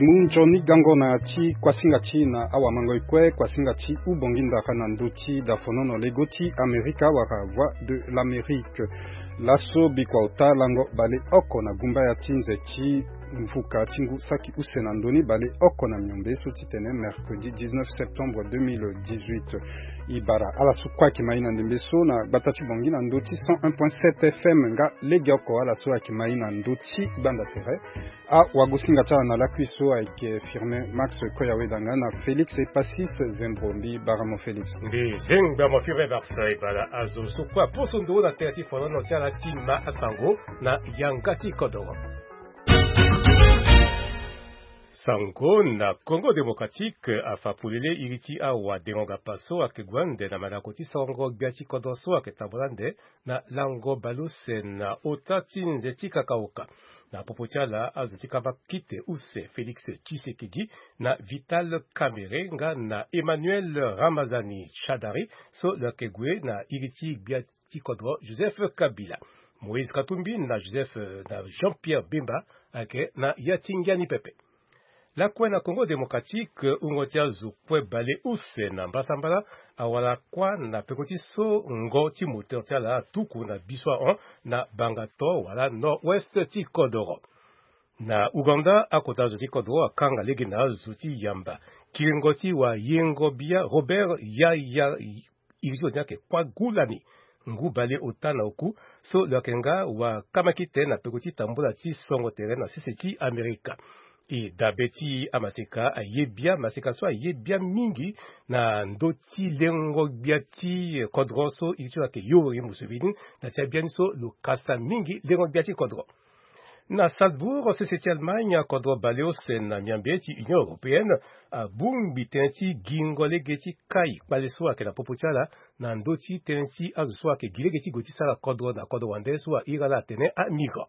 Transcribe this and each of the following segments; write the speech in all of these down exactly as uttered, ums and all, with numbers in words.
Mu nzoni gango na ti kuasinga ti na awamangoi kue, kuasinga ti ubongi ndara na ndö ti dafonono lego ti Amerika wala Voix de l'Amérique. Laso bikua ota lango baleoko na gumbaya ti nze ti mvuka ti ngu saki use na ndö ni baleoko na miombe so titene mercredi dix-neuf septembre deux mille dix-huit. E bara ala so kue ayeke ma e na ndembe so na gbata ti Bangui na ndö ti cent un point sept F M. Nga legeoko ala so ayeke ma e na ndö ti gbanda tere. Awagosinga ti ala na lakui so ayeke Firmin Max Koyaweda nga na Félix Epasis Zembro. Mbi bara mo Félix. Mbi zengba mo Firmin Max. E bara azo so kue aposo nduru na tere ti fonono ti ala ti ma asango na yanga ti kodoro. Sango na Congo Démocratique afa polele iri ti awadengo-ngapa so ayeke gue ande na mandako ti sango gbia ti kodro so ayeke tambula ande na lango baleuse na ota ti nze ti kakaoka. Na popo ti ala azo ti kamba kite use Félix Tshisekedi na Vital Kamerhe nga na Emmanuel Ramazani Shadary so lo yeke gue na iri ti gbia ti kodro Joseph Kabila. Moïse Katumbi na Joseph na Jean-Pierre Bemba ayeke na ya ti ngia ni pepe. Lakue na Congo Démocratique, wungo ti azo kue baleuse na mbasambala awara kuâ na peko ti so ngo ti moteur ti ala atuku na biso ahon na Bangato wala nord-ouest ti kodoro. Na Ouganda, akota zo ti kodro akanga lege na azo ti yamba kiringo ti wayengo-bia Robert Yaya, iri ti lo ni ayeke Kwagulani, ngu baleota na oku, so lo yeke nga wakama kite na peko ti tambula ti songo tere na sese ti Amerika. E dabe ti amaseka aye bia, maseka so aye bia mingi na ndö ti lengo-gbia ti kodro so iri ti lo ayeke Yoweri Museveni, na ti abiani so lo kasa mingi lengo-gbia ti kodro. Na Salzbourg, sese ti Allemagne, kodro baleuse na miambe ti Union européenne abongbi tënë ti gingo lege ti kai kpale so ayeke na popo ti ala na ndö ti tënë ti azo so ayeke gi lege ti gue ti sara kodro na kodro wande so ahiri ala atene amigrant.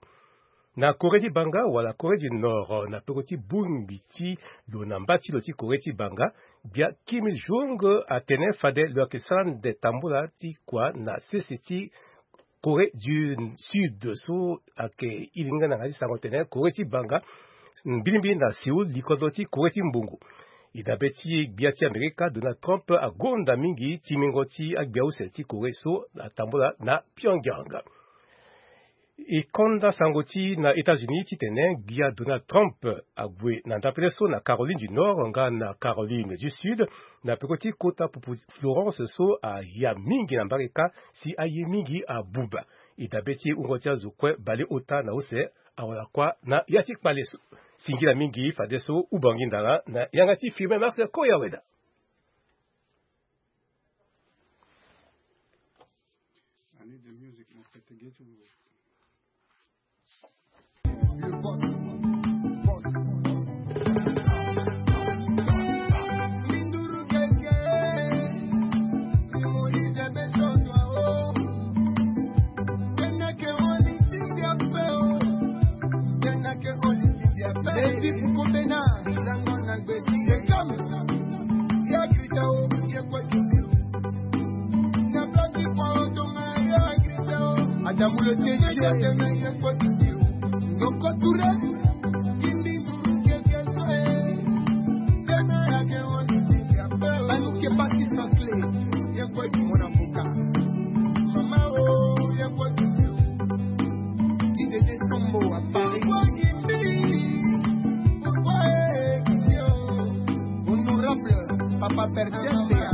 Na Corée ti Banga wala Corée du Nord, na peko ti bongbi ti lo na mba ti lo ti Corée ti Banga, gbia Kim Il Jong atene fade lo yeke sara ande tambula ti kua na sese ti Corée du Sud so ayeke iri nga na yanga ti sango tene Corée ti Banga, mbilimbili na Séoul, likodro ti Corée ti mbongo. E dabe ti gbia ti Amerika, Donald Trump agonda mingi timingo ti agbia use ti Corée so atambula na Pyongyang. E konda sango ti na États-Unis titene gbia Donald Trump ague na ndapele so na Caroline du Nord nga na Caroline du Sud, na peko ti kota pupu Florence so aya mingi na mbarika si aye mingi abuba. E dabe ti wungo ti azo kue baleota na use awara kuâ na ya ti kpale so. Singila mingi fadeso ubongi ndara na yanga ti Firmin Max Koyaweda. Adamu le T J. Doko Touré. Banuke baki sancle. Mona mboka. Mama o, ya kwa. Idede Sombo à Paris. Honorable Papa Bertin Bea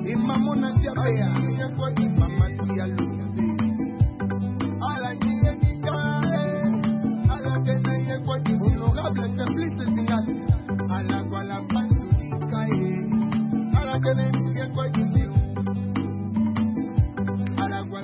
et Maman Nadia Bea. Mama Diallo. Honorable Simplice Zinga.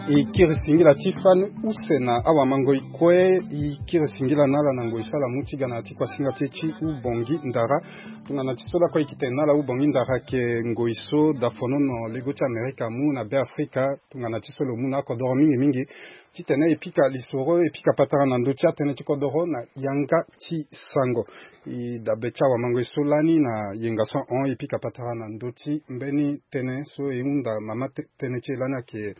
E kiri singila ti fani use na awamangoi kue. E kiri singila na ala na ngoi so ala mu ti ga na ya ti kuasinga ti e ti ubongi ndara. Tongana ti so lakue e yeke tene na ala ubongi ndara ayeke ngoi so dafonono lego ti Amerika amu na Beafrika. Tongana ti so lo mu na akodoro mingi mingi titene e pika lisoro, e pika patara na ndö ti atënë ti kodoro na yanga ti sango. E dabe ti awamangoi so lani na yenga so ahon e pika patara na ndö ti mbeni tënë so e hunda mama te-, tënë ti e lani ayeke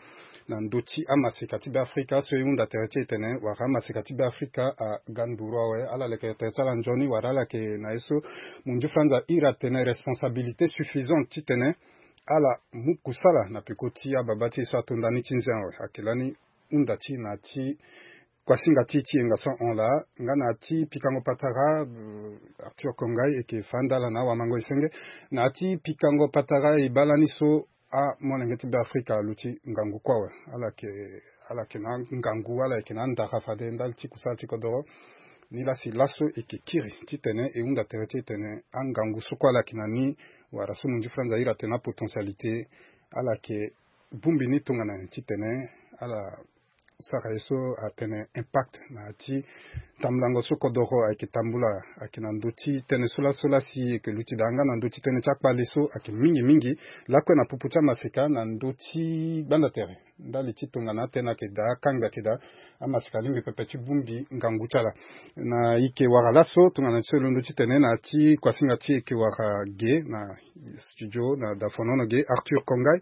na ndö ti amaseka ti Beafrika so e hunda tere ti e tene wala amaseka ti Beafrika aga nduru awe. Ala leke tere ti ala nzoni wala ala yeke na ye so munzu franza iri atene responsabilité suffisante titene ala mu kusala na peko ti ababa ti e so ato ndani ti nze awe. Ayeke lani hunda ti e na ya ti kuasinga ti e ti yenga so ahon laa nga na ya ti pikango patara. Euh, Arthur Kongai e yeke fa nda ala na awamango e senge na ya ti pikango patara e baa lani so amolenge ti Beafrika aluti ngangu kue awe. Ala yeke, ala yeke na angangu, ala yeke na andara fade ndali ti kusala ti kodoro. Nilaa si laso e yeke kiri titene e hunda tere ti e tene angangu so kue ala yeke na ni wala so munzu franza iri atene apotentialité, ala yeke bongbi ni tongana nyen titene ala sara ye so atene impact na ya ti tambulango so kodoro ayeke tambula. Ayeke na ndö ti tënë so laso laa si e yeke luti daa nga na ndö ti tënë ti akpale so ayeke mingi mingi lakue na popo ti amaseka na ndö ti gbanda tere ndali ti tongana atënë ayeke daa akangbi ayeke daa. Amaseka alingbi pepe ti bongbi ngangu ti ala. Na e yeke wara laso tongana ti so e londo titene na ya ti kuasinga ti e yeke wara ge na studio na dafonono ge Arthur Kongai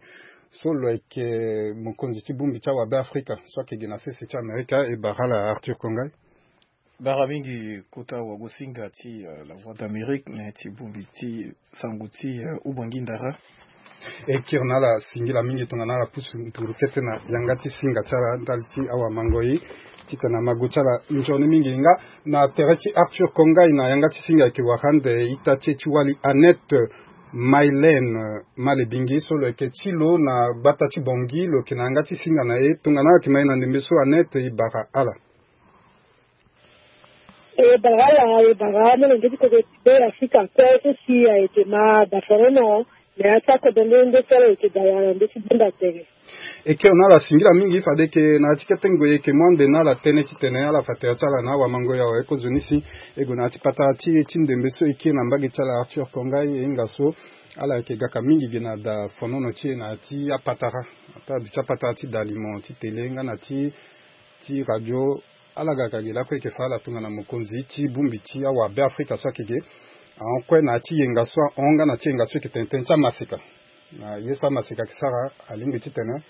so lo yeke mokonzi ti bongbi ti awabe Afrika so ayeke gi na sese ti Amerika. E bara ala Arthur Kongai. Bara mingi kota wagosinga ti, euh, La Voix d'Amérique, na ya ti bongbi ti sango ti, euh, Ubangi Ndara. E kiri na ala singila mingi tongana ala pusu nduru kete na yanga ti singa ti ala ndali ti awamango e titene amago ti ala nzoni mingi. Nga na tere ti Arthur Kongai na yanga ti singa ayeke wara ande ita ti e ti wali Annette Mylène Malebingi so lo yeke ti lo na gbata ti Bangui, lo yeke na yanga ti singa na e. Tongana ayeke ma e na ndembe so Annette, e bara ala. E bara ala, e bara amolenge ti kodro ti Beafrika kue so si ayeke ma dafonono na ya ti akodro nde nde so ala yeke dawa na ndö ti bunda tere. E kiri na ala singila mingi fade yeke na ya ti kete ngoi e yeke mu ande na ala tënë titene ala fa tere ti ala na awamango e awe. Kozoni si e gue na ya ti patara ti e ti ndembe so e kiri na mbage ti ala Arthur Kongai e hinga so ala yeke gaka mingi gi na dafonono ti e na ya ti apatara, ata aduti apatara ti dalimo ti tele nga na ti, ti radio. Ala ga ka gi lakue e yeke fa ala tongana mokonzi ti bongbi ti awabe Afrika so ayeke ge ahon kue na ya ti yenga so ahon nga na ti yenga so e yeke tene tënë ti amaseka. Na ye so amaseka ayeke sara alingbi titene,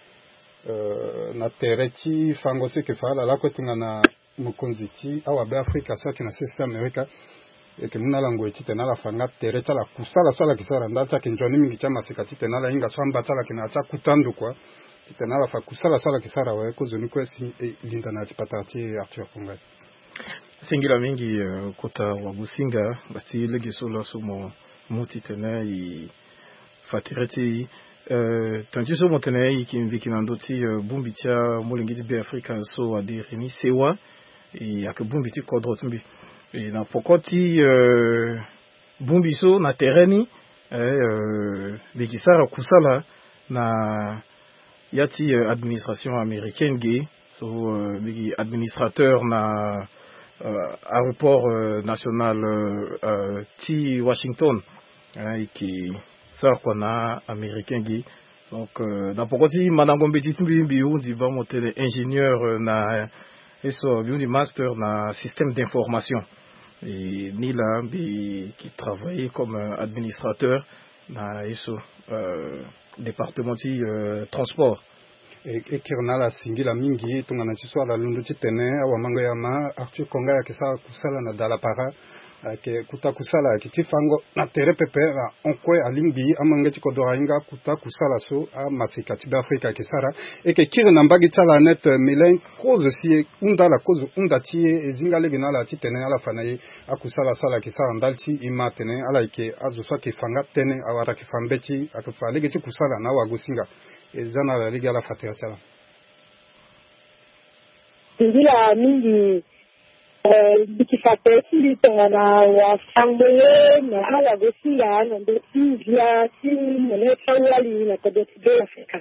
euh, na tere ti fango so e yeke fa ala lakue tongana mokonzi ti awabe Afrika so ayeke na sese ti Amerika. E yeke mu na ala ngoi titene ala fa nga tere ti ala kusala so ala yeke sara ndali ti ayeke nzoni mingi ti amaseka titene ala hinga so amba ti ala ayeke na ya ti akuta ndo kua. Titene ala fa kusala so ala yeke sara awe. Kozoni kue si e linda na ya ti patara ti e Arthur Kongai. Singila mingi, euh, kota wagosinga, nga ti lege so laso mo mu titene e fa tere ti e, euh, tënë ti so mo tene e yeke mbi yeke na ndö ti, euh, bongbi ti amolenge ti Beafrika so adiri ni sewa. E ayeke bongbi ti kodro ti mbi. E na poko ti, euh, bongbi so na tere ni, eh, euh, mbi yeke sara kusala na ya ti, euh, administration américaine ge. So, euh, mbi yeke administrateur na, euh, aéroport, euh, national, euh, euh, ti Washington. Eh, e yeke sara kua na américain ge. Donc, euh, na poko ti mandango mbeti ti mbi, mbi hundi baa mo tene ingénieur, euh, na, euh, ye so mbi hundi master na système d'information. Et ni laa mbi yeke travailler comme, euh, administrateur na ye so, euh, département ti, euh, transport. E, e kiri na ala singila mingi tongana ti so ala londo titene awamango ya ma Arthur Kongai ayeke sara kusala na dalapara. Ayeke kuta kusala ayeke ti fango na tere pepe. Ahon kue alingbi amolenge ti kodro ahinga kuta kusala so amaseka ti Beafrika ayeke sara. E yeke kiri na mbage ti ala Annette Mylène kozo si e hunda ala kozo hunda ti e, e zi nga lege na ala titene ala fa na e akusala so ala yeke sara ndali ti e ma atene ala yeke azo so ayeke fa nga tënë, awara ayeke fa mbeti, ayeke fa lege ti kusala na awagosinga. E za na ala lege ala fa tere ti ala. Singila mingi, eh, mbi yeke fa tere ti mbi tongana wafango ye na awagosinga na ndö ti ngia ti molenge ti awali na kodro ti Beafrika.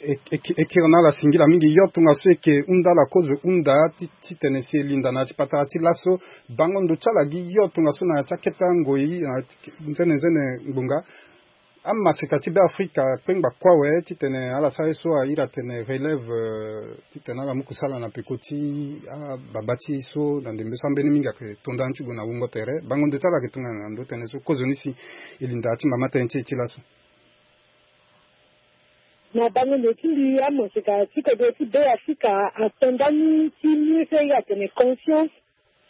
E, e, e kiri na ala singila mingi yo tongaso e yeke hunda ala kozo hunda ti, titene si e linda na ya ti patara ti laso bango ndo ti ala gi yo tongaso na ya ti akete angoi na nzene nzene ngbonga. Amaseka ti Beafrika kpengba kue awe titene ala sara ye so a iri atene relève, euh, titene ala mu kusala na peko ti ababa ti e so na ndembe so ambeni mingi ayeke to ndani ti gue na wungo tere. Bango ndo ti ala ayeke tongana na ndö tënë so kozoni si e linda ya ti mama tënë ti e ti laso. Na bango ndo ti mbi amaseka ti kodro ti Beafrika ato ndani ti mur so e iri atene conscience.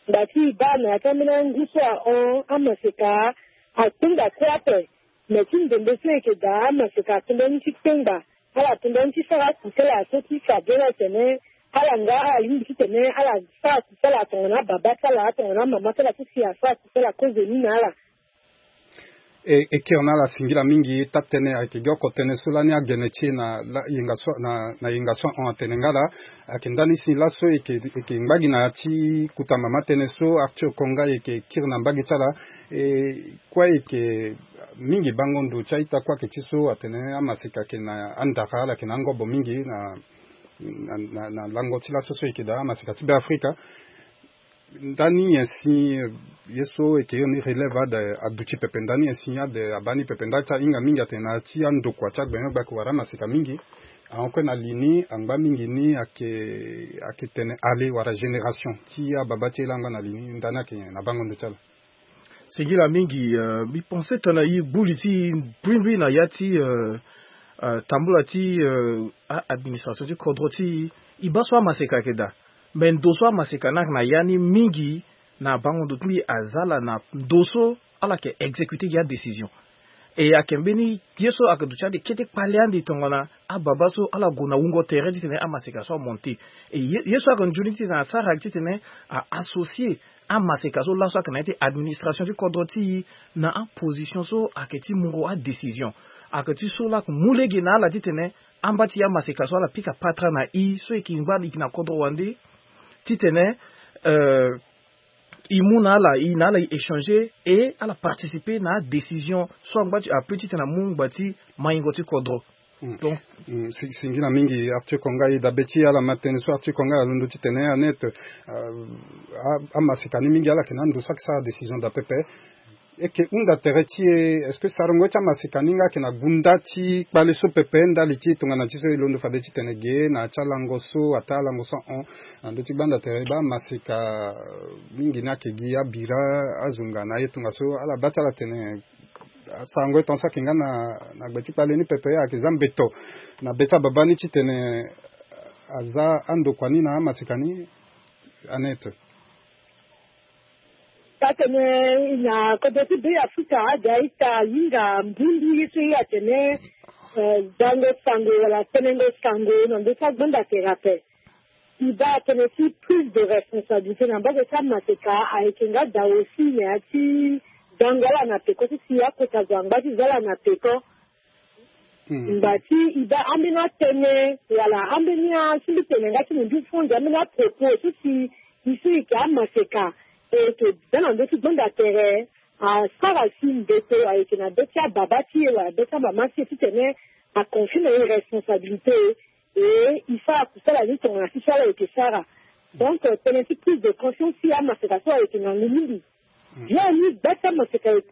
Ngba ti e baa na ya ti ambeni angu so ahon amaseka akpengba kue ape. Me ti ndembe so e yeke daa amaseka ato ndani ti kpengba, ala to ndani ti sara akusala so ti fa bere atene ala nga ala lingbi titene ala sara akusala tongana ababa ti ala tongana amama ti ala so si asara akusala kozoni na ala. E, e kiri na ala singila mingi taa-tënë ayeke gi oko tënë so lani agene ti e na yenga so na yenga so ahon atene nga laa. Ayeke ndani si laso e yeke ngba gi na ya ti kuta mama tënë so Arthur Konga e yeke kiri na mbage ti ala. E kue e yeke mingi bango ndo ti a-ita kue ayeke ti so atene amaseka ayeke na andara ala yeke na angobo mingi na na lango ti laso so e yeke daa amaseka ti Beafrika. Ndani nyen si ye so e yeke iri ni relève ade aduti pepe ndani nyen si ade abaa ni pepe ndali ti ahinga mingi atene na ya ti andokua ti agbene gbake wala amaseka mingi ahon kue na li ni angba mingi ni ayeke ayeke tene ale wala génération ti ababa ti e laa angba na li ni ndani ayeke nyen na bango ndo ti ala? Singila mingi. Mbi pense tongana e gbu li ti e mbrimbri na ya ti tambula ti administration ti kodro ti e. E baa so amaseka ayeke daa. Me ndo so amaseka ni ayeke na ya ni mingi na bango ndo ti mbi aza ala na ndo so ala yeke exécuter gi adécision. E ayeke mbeni ye so ayeke duti ande kete kpale ande tongana ababa so ala gue na wungo tere titene amaseka so amonte. E ye so ayeke nzoni titene asara ayeke titene a associer amaseka so laso ayeke na ya ti administration ti kodro ti e na aposition so ayeke ti mungo adécision. Ayeke ti so laa ayeke mu lege na ala titene amba ti e amaseka so ala pika patara na e so e yeke ngba e yeke na kodro wande titene e mu na ala e na ala e échanger e ala participer na adécision so angba ti ape titene amu ngba ti maingo ti kodro. Donc singila mingi Arthur Konga e dabe ti ala ma tënë so Arthur Konga alondo titene anet amaseka ni mingi ala yeke na ando so ayeke sara décision daa pepe. E yeke hunda tere ti e est-ce que sarango ti amaseka ni nga ayeke na gunda ti kpale so pepe ndali ti e tongana ti so e londo fade titene ge na ya ti alango so ataa alango so ahon na ndö ti gbanda tere e baa amaseka mingi ni ayeke gi abira azunga na ye tongaso ala baa ti ala tene asarango ye tongaso ayeke nga na gbe ti kpale ni pepe ayeke za mbeto na be ti ababa ni titene aza andokua ni na amaseka ni. Anet. Atene na kodro ti Beafrika ade a-ita ahinga mbundu ye so ye atene dango sango wala tenengo sango na ndö ti agbanda tere ape. E baa atene ti prise de responsabilité na mbage ti amaseka ayeke nga daa aussi na ya ti dango ala na peko ti si akota zo angba ti za ala na peko. Ngba ti e baa ambeni atënë wala ambeni asimbi tene nga ti mundu fo nze ambeni apropos so si e so e yeke amaseka e yeke za na ndö ti gbanda tere asara si mbeto ayeke na be ti ababa ti e wala be ti amama ti e titene aconfie na e responsabilité e e sara kusala ni tongana si so ala yeke sara. Donc tënë ti prise de conscience ti amaseka so ayeke ngangu mingi. Bien ni gba ti amaseka e.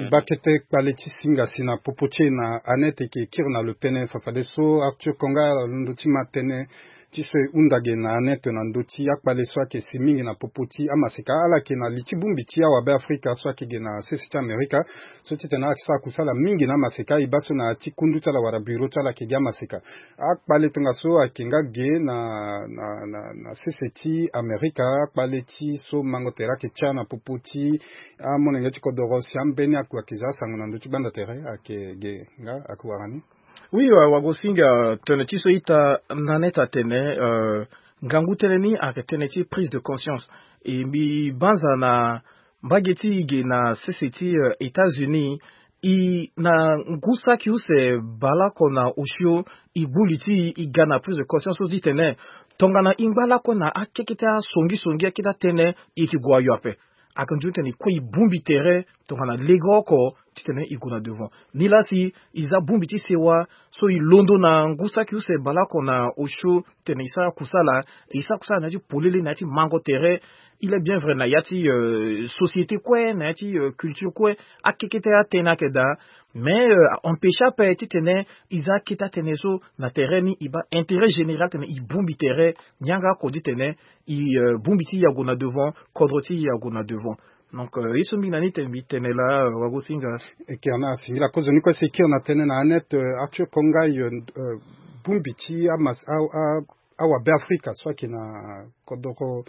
E baa kete kpale ti singa si na popo ti e na Anet e yeke kiri na lo tënë fafadeso Arthur Konga alondo ti ma tënë ti so e hunda ge na Anet na ndö ti akpale so ayeke si mingi na popo ti amaseka ala yeke na li ti bongbi ti awabe Afrika so ayeke ge na sese ti Amerika. So titene ala yeke sara kusala mingi na amaseka e baa so na ya ti kundu ti ala wala bureau ti ala ayeke gi amaseka. Akpale tongaso ayeke nga ge na na na na sese ti Amerika akpale ti so mango tere ayeke tia na popo ti amolenge ti kodoro si ambeni akua ayeke za asango na ndö ti gbanda tere ayeke ge nga ayeke wara ni. Oui, wagosinga tene ti so ita na neta tene ngangu tënë ni ayeke tënë ti prise de conscience. E mbi banza na mbage ti e ge na sese ti États-Unis. E na ngu saki use baleoko na osio e gbu li ti e e ga na prise de conscience so ti tene tongana e ngba lakue na akekete asongisongi akete atënë e yeke gue ayo ape. Ayeke nzoni tene e kue e bongbi tere tongana lege oko titene e gue na devant. Nilaa si e za bongbi ti sewa so e londo na ngu saki use baleoko na osio titene e sara kusala e sara kusala na ya ti polele na ya ti mango tere. Il est bien vrai na ya ti société kue na ya ti culture kue akekete atënë ayeke daa. Mais a empêche ape titene e za akete atënë so na tere ni e baa intérêt général tene e bongbi tere. Ni yanga oko titene e bongbi ti e ague na devant kodro ti e ague na devant. Donc ye so mbi na ni tene mbi tene laa wagosinga. Ekere na singila kozo ni kue si ekere na tene na anet arthur kongai, bongbi ti amas awabe afrika so ayeke na kodoro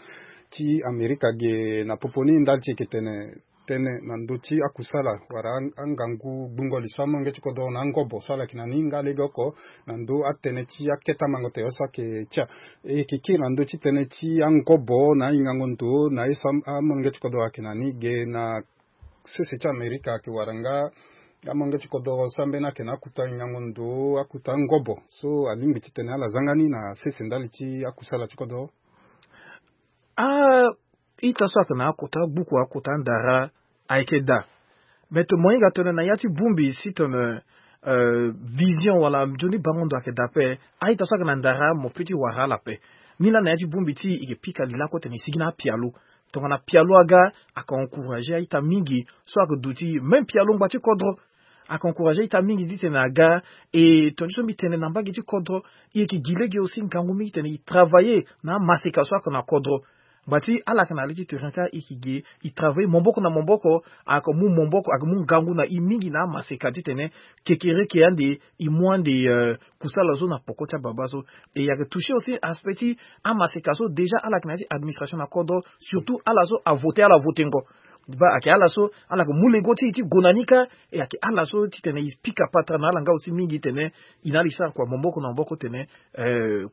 ti amerika ge na popo ni ndali ti eke tene tene na ndö ti akusala wala angangu gbungo li so amolenge ti kodoro na angobo so ala yeke na ni nga lege oko na ndö atene ti akete amango tere so ayeke tia. E yeke kiri na ndö ti tene ti angobo na ahingango ndo na ye so amolenge ti kodoro ayeke na ni ge na sese ti amerika ayeke wara nga amolenge ti kodoro so ambeni ayeke na akuta hingango ndo akuta angobo so alingbi titene ala zanga ni na sese ndali ti akusala ti kodoro. Ah, ita so ayeke na akota gbuku akota ndara ayeke daa. Me tene mo hinga tene na ya ti bongbi si tene vision wala nzoni bango ndo ayeke daa ape. A-ita so ayeke na ndara mo pe ti wara ala ape. Ni laa na ya ti bongbi ti e yeke pika li lakue tene e sigi na apialo. Tongana pialo aga ayeke encourager a-ita mingi so ayeke duti même pialo ngba ti kodro. Ayeke encourager a-ita mingi titene aga. E tonga ti so mbi tene na mbage ti kodro e yeke gi lege aussi ngangu mingi titene e travailler na amaseka so ayeke na kodro. Ngba ti ala yeke na le ti terrain kâ e yeke gi e travailler maboko na maboko. Ayeke mu maboko ayeke mu ngangu na e mingi na amaseka titene kekereke ande e mu ande kusala so na poko ti ababa so. E ayeke toucher aussi aspect ti amaseka so déjà ala yeke na ya ti administration na kodro surtout ala so avote ala votengo. Ba ayeke ala so ala yeke mu lego ti e ti gue na ni kâ. E ayeke ala so titene e pika patara na ala nga aussi mingi tene e na ala e sara kua maboko na maboko tene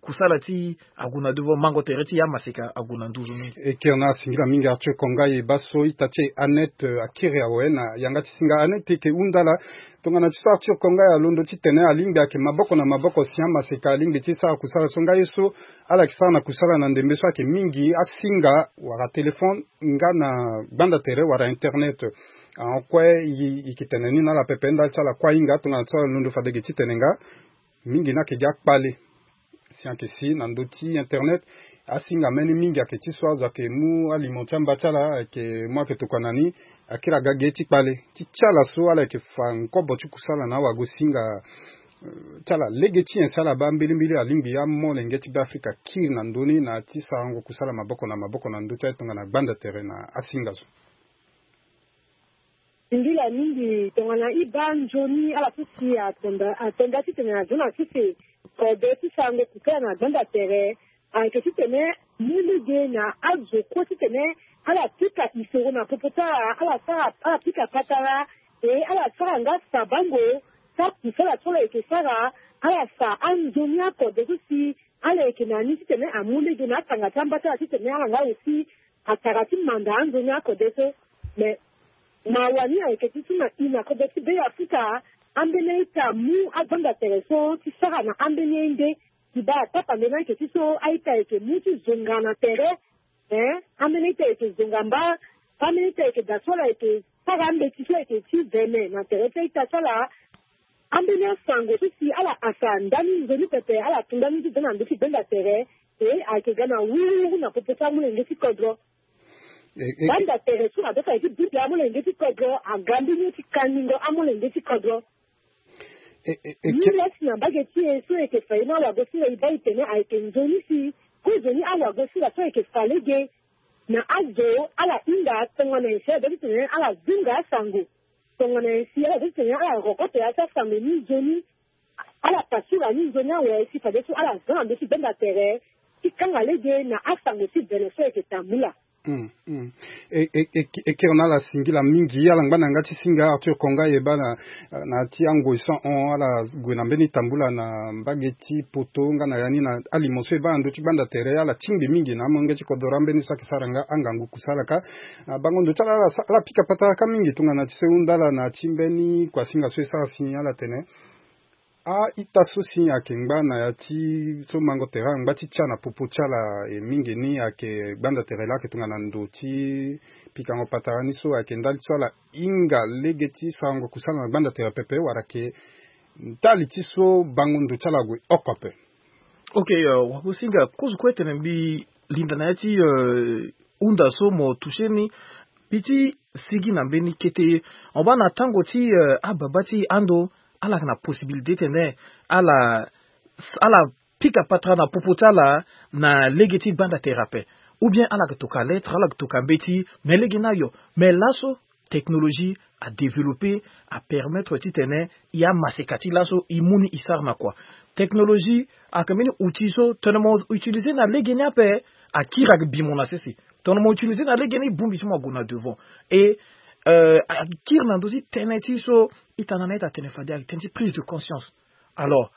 kusala ti ague na devant mango tere ti amaseka ague na nduzu mingi. E kiri na asingila mingi arthur kongai e baa so ita ti e anet akiri awe na yanga ti singa anet e yeke hunda ala. Tongana ti so arthur kongai alondo titene alingbi ayeke maboko na maboko si amaseka alingbi ti sara kusala so nga ye so ala yeke sara na kusala na ndembe so ayeke mingi asinga wala telefone nga na gbanda tere wala internet. Ahon kue e yeke tene ni na ala pepe ndali ti ala kue ahinga tongana ti so alondo fade ge titene nga mingi ni ayeke gi akpale si ayeke si na ndö ti internet. Asinga mbeni mingi ayeke ti so azo ayeke mu alimo ti amba ti ala ayeke mu ayeke tokua na ni. Akiri aga ge ti kpale ti ti ala so ala yeke fa ngobo ti kusala na awagosinga ti ala lege ti nyen si ala baa mbilimbili alingbi amolenge ti beafrika kiri na ndö ni na ya ti sarango kusala maboko na maboko na ndö ti aye tongana gbanda tere na asinga so. Singila mingi tongana e baa nzoni ala so si atonda atonda titene azo na sese kode ti sarango kusala na gbanda tere. Ayeke titene mu lege na azo kue titene ala pika isoro na popo ti ala ala sara ala pika patara e ala sara nga sabango ti akusala so ala yeke sara. Ala sa anzoni akode so si ala yeke na ni titene amu lege na atanga ti amba ti ala titene ala nga aussi atara ti manda anzoni akode so. Me mawa ni ayeke ti so na i na kodro ti be afrika ambeni a-ita amu agbanda tere so ti sara na ambeni a-inde. Ti baa atapa nde ni ayeke ti so a-ita ayeke mu ti zonga na tere. Hein, ambeni a-ita ayeke zonga mba. Ambeni a-ita ayeke daa so ala yeke sara ambeti so ayeke ti vene na tere ti a-ita so ala. Ambeni asango so si ala asa ndani nzoni pepe ala tu ndani ti da na ndö ti gbenda tere. E ayeke ga na wururu na popo ti amolenge ti kodro. Gbanda tere so adoka ye ti bute amolenge ti kodro aga mbeni ye ti kangingo amolenge ti kodro. Ni lasi na mbage ti e so e yeke fa ye ni awagosinga e baa e tene ayeke nzoni si kozoni awagosinga so e yeke fa lege na azo ala hinga tongana nyen si ala doit ti tene ala zunga asango. Tongana nyen si ala doit ti tene ala rokoto ya ti asango ni nzoni. Ala pasura ni nzoni awe si fadeso ala za na ndö ti benda tere ti kanga lege na asango ti bene so e yeke tambula. Ekere na ala singila mingi ala ngba na yanga ti singa arthur konga e baa na na ti angoi so ahon ala gue na mbeni tambula na mbage ti poto nga na ya ni na alimo so e baa na ndö ti gbanda tere ala tingbi mingi na amolenge ti kodoro ambeni so ayeke sara nga angangu kusala ka. Na bango ndo ti ala ala pika patara ka mingi tongana ti so e hunda ala na ti mbeni kuasinga so e sara si ala tene a-ita so si ayeke ngba na ya ti so mango tere angba ti tia na popo ti ala e mingi ni ayeke gbanda tere laa ayeke tongana ndo ti pikango patara ni so ayeke ndali ti so ala hinga lege ti sarango kusala na gbanda tere pepe wala ayeke ndali ti so bango ndo ti ala ague oko ape. Ok. Wakosinga kozo kue tene mbi linda na ya ti hunda so mo toucher ni mbi ti sigi na mbeni kete. Mo baa na tango ti ababa ti ando ala yeke na possibilité tene ala ala pika patara na popo ti ala na lege ti gbanda tere ape. Ou bien ala yeke toka lettre, ala yeke toka mbeti. Mais lege ni ayo. Mais laso technologie a développé, a permettre titene e amaseka ti laso e mu ni e sara na kua. Technologie ayeke mbeni outil so tongana mo utiliser na lege ni ape, akiri ayeke bi mo na sese. Tongana mo utiliser na lege ni, bongbi ti mo ague na devant. Et euh, akiri na ndö ti tënë ti so ita na na ita tene fade ayeke tënë ti prise de conscience. Alors,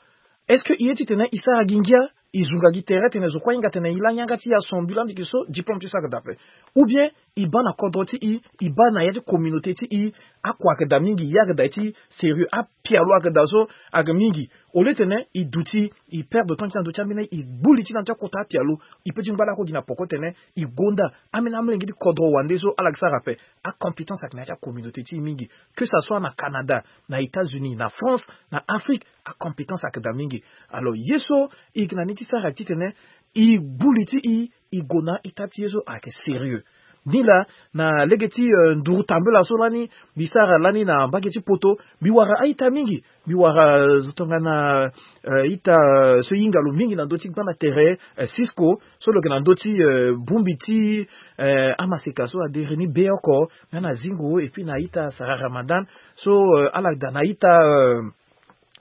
est-ce que e ye titene e sara gi ngia, e zunga gi tere tene zo kue ahinga tene e la yanga ti e aso mbi laa mbi yeke so diplôme ti so ayeke daa ape? Ou bien e baa na kodro ti e, e baa na ya ti communauté ti e, akua ayeke daa mingi, e ayeke daa ti sérieux, apialo ayeke daa so ayeke mingi. Au lieu tene e duti, e perdre temps ti e na ndö ti ambeni, e gbu li ti e na ndö ti akota apialo, e peut ti ngba lakue gi na poko tene e gonda ambeni amolenge ti kodro wande so ala yeke sara ape. Acompétence ayeke na ya ti acommunauté ti e mingi, que ça soit na Canada, na États-Unis, na France, na Afrique, acompétence ayeke daa mingi. Alors ye so e yeke na ni ti sara titene e gbu li ti e, e gue na a-ita ti ye so ayeke sérieux. Ni laa, na lege ti euh, nduru tambela so lani mbi sara lani na mbage ti poto, mbi wara a-ita mingi. Mbi wara euh, zo tongana euh, ita euh, so e hinga lo mingi na ndö ti gbanda tere, euh, Cisco, so lo yeke na ndö ti euh, bongbi ti euh, amaseka so adere ni be oko nga na zingo, et puis na ita Sara Ramadan, so euh, ala daa na ita euh,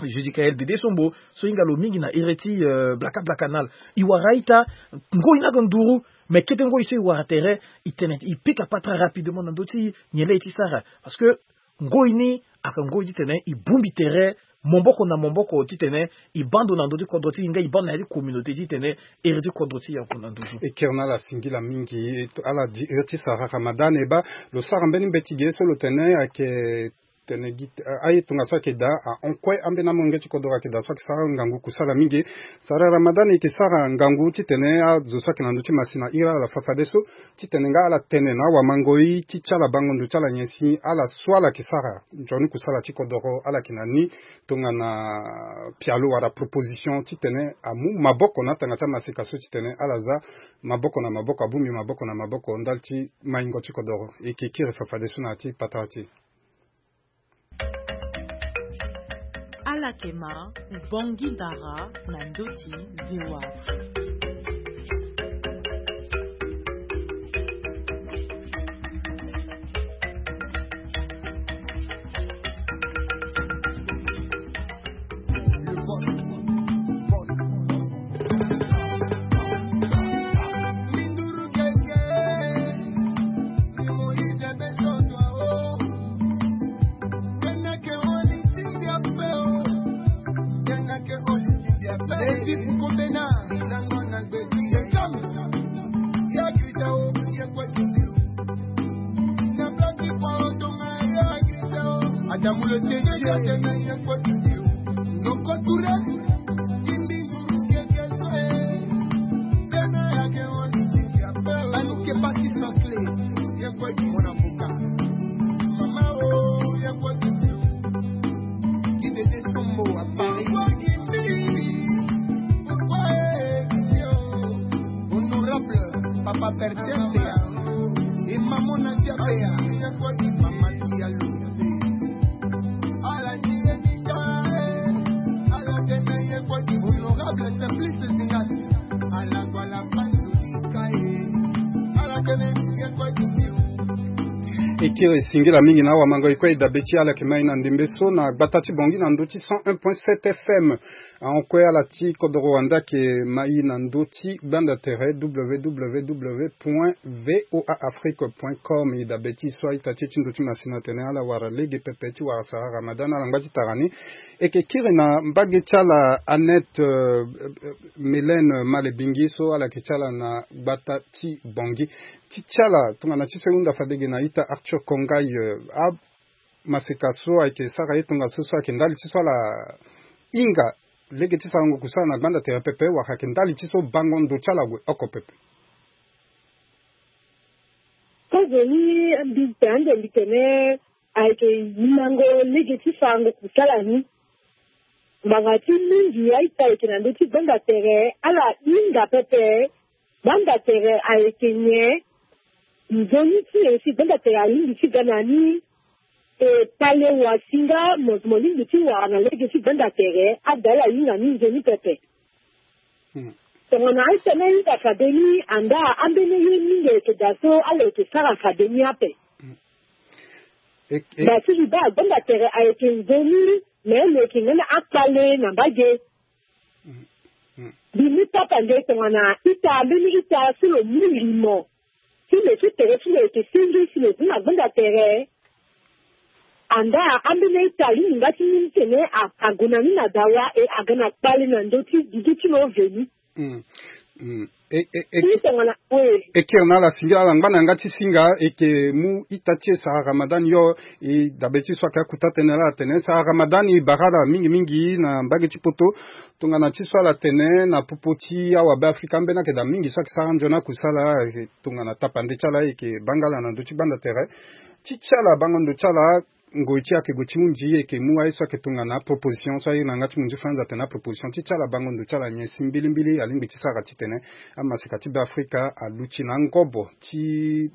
Judicaël Dede Sombo, so e hinga lo mingi na ere ti euh, blaka blaka nal. E wara a-ita, ngoi ni ayeke nduru, mais kete ngoi so e wara tere, e tene e pika patara rapidement na ndö ti nyen laa e ti sara. Parce que ngoi ni ayeke ngoi titene e bongbi tere maboko na maboko titene e baa ndo na ndö ti kodro ti e nga e baa ndo na ya ti communauté titene ere ti kodro ti e ague na nduzu. E kiri na ala singila mingi. E to- ala di ere ti Sara Ramadan, e baa lo sara mbeni mbeti ge so lo tene ayeke tene gi aye tongaso ayeke daa ahon kue ambeni amolenge ti kodro ayeke daa so ayeke sara ngangu kusala mingi. Sara Ramadan, e yeke sara ngangu titene azo so ayeke na ndö ti masina iri ala fafadeso titene nga ala tene na awamangoi ti ti ala bango ndo ti ala nyen si ala so ala yeke sara nzoni kusala ti kodoro ala yeke na ni tongana pialo wala proposition titene amu maboko na atanga ti amaseka so titene ala za maboko na maboko, abongbi maboko na maboko ndali ti maingo ti kodoro. E yeke kiri fafadeso na ya ti patara ti e. Ala yeke ma Bangui Dara na ndö ti V O A Afrique. Adamu le T G. Noko Touré, Kimbi Nguru Kekesoe, Bena Yake Wani Tiki Apel, Anuke Baki Sakle, Yekwe Kimona Fuka, Mama O, Yekwe Kimbi, Kidede Sombo à Paris. Honorable Papa Bertin Bea et Maman Nadia Bea, Maman Diallo. Honorable Simplice Zingas. E kiri e singila mingi na awamango e kue e dabe ti ala yeke mai na ndembe so na gbata ti Bangui na ndö ti cent un point sept F M. Ahon kue ala ti kodoro wande ayeke mai na ndö ti gbanda tere www point voaafrique point com. E dabe ti e so a-ita ti e ti ndö ti masina atene ala wara lege pepe ti wara sara Ramadan na ala ngba ti tara ni. E yeke kiri na mbage ti ala Annette euh, euh, Mélène Malebingi so ala yeke ti ala na gbata ti Bangui. Ti ti ala tongana ti so e hunda fade ge na a-ita Arthur Kongai, euh, a maseka so ayeke sara ye tongaso so ayeke ndali ti so ala hinga lege ti sarango kusala na gbanda tere pepe wala ayeke ndali ti so bango ndo ti ala ague oko pepe? Kozoni mbi pe ande mbi tene ayeke hingango lege ti sarango kusala ni. Ngbanga ti mingi a-ita ayeke na ndö ti gbanda tere ala hinga pepe. Gbanda tere ayeke nyen? Nzoni ti e si gbanda tere alingbi ti ga na ni. E pale wa si nga mo mo lingbi ti wara na lege ti gbanda tere ada ala hinga ni nzoni pepe. Hmm. Tongana aita ni ahinga fade ni, andaa ambeni ye mingi ayeke daa so ala yeke sara fade ni ape. Daa si mbi baa agbanda tere ayeke nzoni, me lo yeke nga na akpale na mbage. Mbi mu tapande tongana ita, mbeni ita so lo mu limo ti lo ti tere ti lo yeke senge si lo bima gbanda tere. Andaa ambeni ita alingbi nga ti mu ni tene a- ague na ni na dawa e aga na kpale na ndö ti dudu ti lo veni. Mm. Mm. E, e, e, Ti tongana we. E kiri na ala singila ala ngba na yanga ti singa e ke mu ita ti e Sara Ramadan yo. E dabe ti so ayeke akuta tënë laa atene Sara Ramadan e bara ala mingi mingi na mbage ti poto. Tongana ti so ala tene na popo ti awabe Afrika ambeni ayeke daa mingi so ayeke sara nzoni akusala. E tongana tapande ti ala e ke baa nga ala na ndö ti gbanda tere. Ti ti ala bango ndo ti ala ngoi ti ayeke gue ti hunzi e ke mu aye so ayeke tongana aproposition so aye na yanga ti monzi France atene aproposition ti ti ala bango ndo ti ala nyen si mbilimbili alingbi ti sara titene amaseka ti Beafrika aluti na angobo ti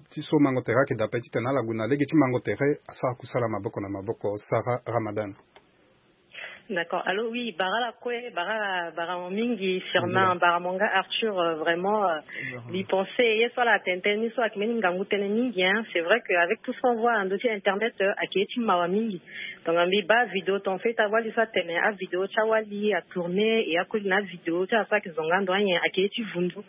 ti so mango tere ayeke daa ape titene ala gue na lege ti mango tere asara kusala maboko na maboko. Sara Ramadan. D'accord. Allô, oui, bara ala kue, bara ala, bara mo mingi, Firmin, bara mo nga Arthur, euh, vraiment, euh, mbi pense ye so ala tene tënë ni so ayeke mbeni ngangu tënë mingi, hein. C'est vrai que avec tout ce qu'on voit na ndö ti internet, euh, ayeke ye ti mawa mingi. Donc mbi baa vidéo ton fait awali so atene avidéo ti awali atourné et akoli na avidéo ti ala so ayeke zonga ando anyen ayeke ye ti vundu.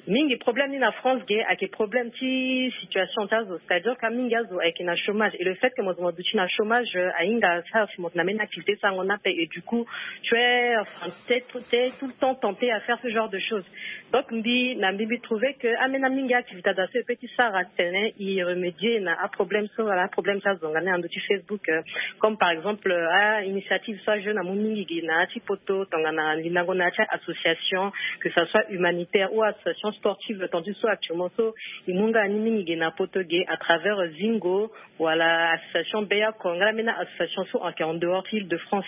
Mingi problème ni na France ge ayeke problème ti situation ti azo, c'est-à-dire que mingi azo ayeke na chômage et le fait que mo zo mo duti na chômage, euh, ahinga sara si mo na mbeni activité sarango ni ape et du coup tu es, enfin, t'es tout, t'es tout le temps tenté à faire ce genre de choses. Donc mbi na mbi mbi trouver que ambeni mingi activité azo so e peut ti sara titene e remédier na aproblème so wala aproblème ti azonga ni na ndö ti Facebook, euh, comme par exemple, euh, a initiative so ajeune amu mingi ge na ya ti poto tongana lindango na ya ti association, que ça soit humanitaire ou association sportive, tandis so actuellement so e mu nga ni mingi ge na poto ge à travers, euh, Zingo wala association Beyako, nga la mbeni association so ayeke en dehors ti Île-de-France.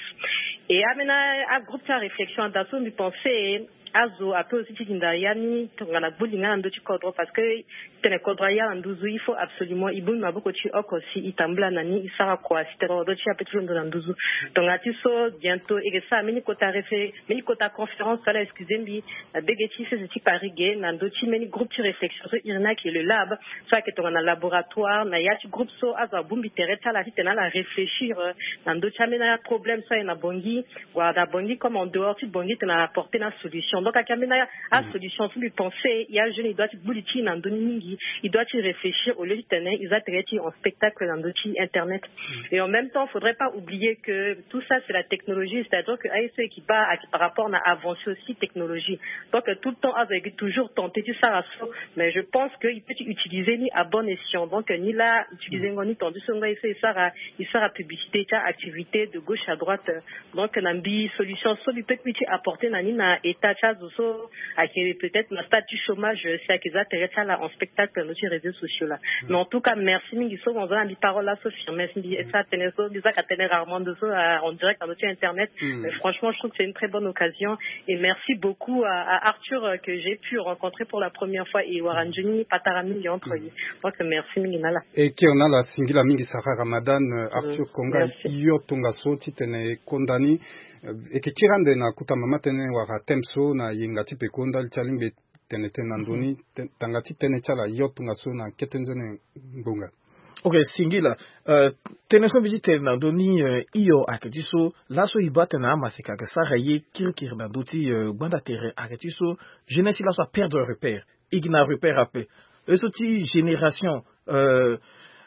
Et ambeni agroupe ti aréflexion adaa so mbi pense azo ape aussi ti hinda ya ni tongana gbu li nga na ndö ti kodro, parce que tene kodro aya na nduzu il faut absolument e bongbi maboko ti e oko si e tambula na ni e sara kua si tene kodro ti e ape ti londo na nduzu. Tongana ti so bientôt e ke sara mbeni kota réfé mbeni kota conférence wala excusez mbi, na bege ti sese ti Paris ge na ndö ti mbeni groupe ti réflexion so iri ni ayeke le lab, so ayeke tongana laboratoire na ya ti groupe so azo abongbi tere ti ala titene ala réfléchir, euh, na ndö ti ambeni aproblème so aye na Bangui wala na Bangui comme en dehors ti Bangui titene ala apporter na solution. Donc ayeke ambeni asolution so mbi pense ya jeune e doit ti gbu li ti e na ndö ni mingi, e doit ti réfléchir au lieu titene e za tere ti e en spectacle na ndö ti internet. Et en même temps faudrait pas oublier que tout ça c'est la technologie, c'est-à-dire que aye so e yeke baa ayeke par rapport na avancée aussi technologie. Donc euh, tout le temps azo ayeke toujours tenté ti sara so, mais je pense que e peut ti utiliser ni à bon escient. Donc euh, ni la utiliser ngo ni tandis so ngo aye so e sara e sara publicité ti aactivité de gauche à droite. Donc na mbi solution so mbi peut mbi ti apporter na ni na état ti azo so ayeke peut-être na stade ti chômage, euh, si ayeke za tere ti ala en spectacle na ndö ti réseaux sociaux la. Mais en tout cas merci mingi so mo za na mbi parole la so Firmin, si mbi sara tënë so mbi zaka tënë rarement ndo so, euh, en direct na ndö ti internet. Mais franchement je trouve que c'est une très bonne occasion et merci beaucoup à, à Arthur, euh, que j'ai pu rencontrer pour la première fois et wara nzoni patara mingi entre ye. Donc merci mingi na ala. E kiri na ala singila mingi Sara Ramadan. Euh, Arthur Konga, yo tongaso titene e konda ni, euh, e ke kiri ande na kota mama tënë wala thème so na yenga ti peko ndali ti alingbi tene tënë na ndö ni. Tanga ti tënë ti ala yo tongaso na kete nzoni ngbonga. Ok, singila. Euh, tënë so mbi ti tene na ndö ni, euh, hio ayeke ti so laso e baa tene amaseka ayeke sara ye kirikiri na ndö ti, euh, gbanda tere ayeke ti so jeunesse ti laso aperdre repère. E gi na repère ape. Ye so ti génération, euh,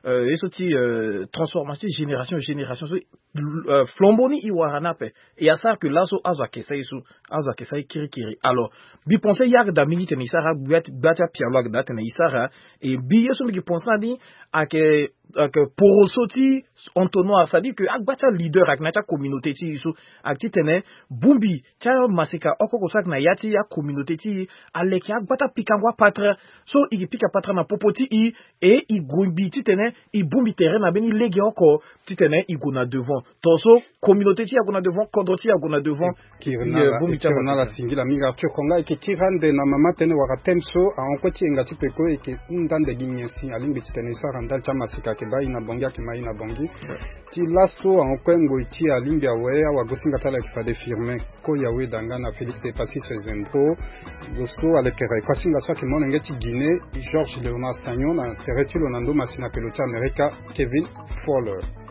euh, ye so ti, euh, transformation ti génération génération so, euh, flambeau ni e wara ni ape. E asara ke laso azo ayeke sara ye so, azo ayeke sara ye kirikiri. Alors mbi pense e yeke daa mingi titene e sara gbia ti gbia ti apialo ayeke daa titene e sara. E mbi ye so mbi yeke pense na ni ayeke, ayeke poroso ti entonnoir, c'est-à-dire que agbia ti aleader ayeke na ya ti acommunauté ti e so ayeke titene bongbi ti amaseka oko oko so ayeke na ya ti acommunauté ti e aleke agbata pikango apatara so e ke pika patara na popo ti e. E e gue mbi titene e bongbi tere na mbeni lege oko titene e gue na devant. Tongaso communauté ti e ague na devant, kodro ti e ague na devant. Kiri na ala singila mingi Arthur Konga. E ke kiri ande na mama tënë wala thème so ahon kue ti yenga ti peko e ke hunda ande gi nyen si alingbi titene e sara ndali ti amaseka. Ake baa ye na Bangui, ake ma ye na Bangui. Ti laso ahon kue ngoi ti alingbi awe awagosinga ti ala ayeke fade firme. Ko yawe danga na Félix Epassis Zembro. Lo so alekere kuasinga so ayeke molenge ti Guinée, Georges Léonard Stagnon, na tere ti lo na ndo masina ake lo ti Amerika, Kevin Fowler.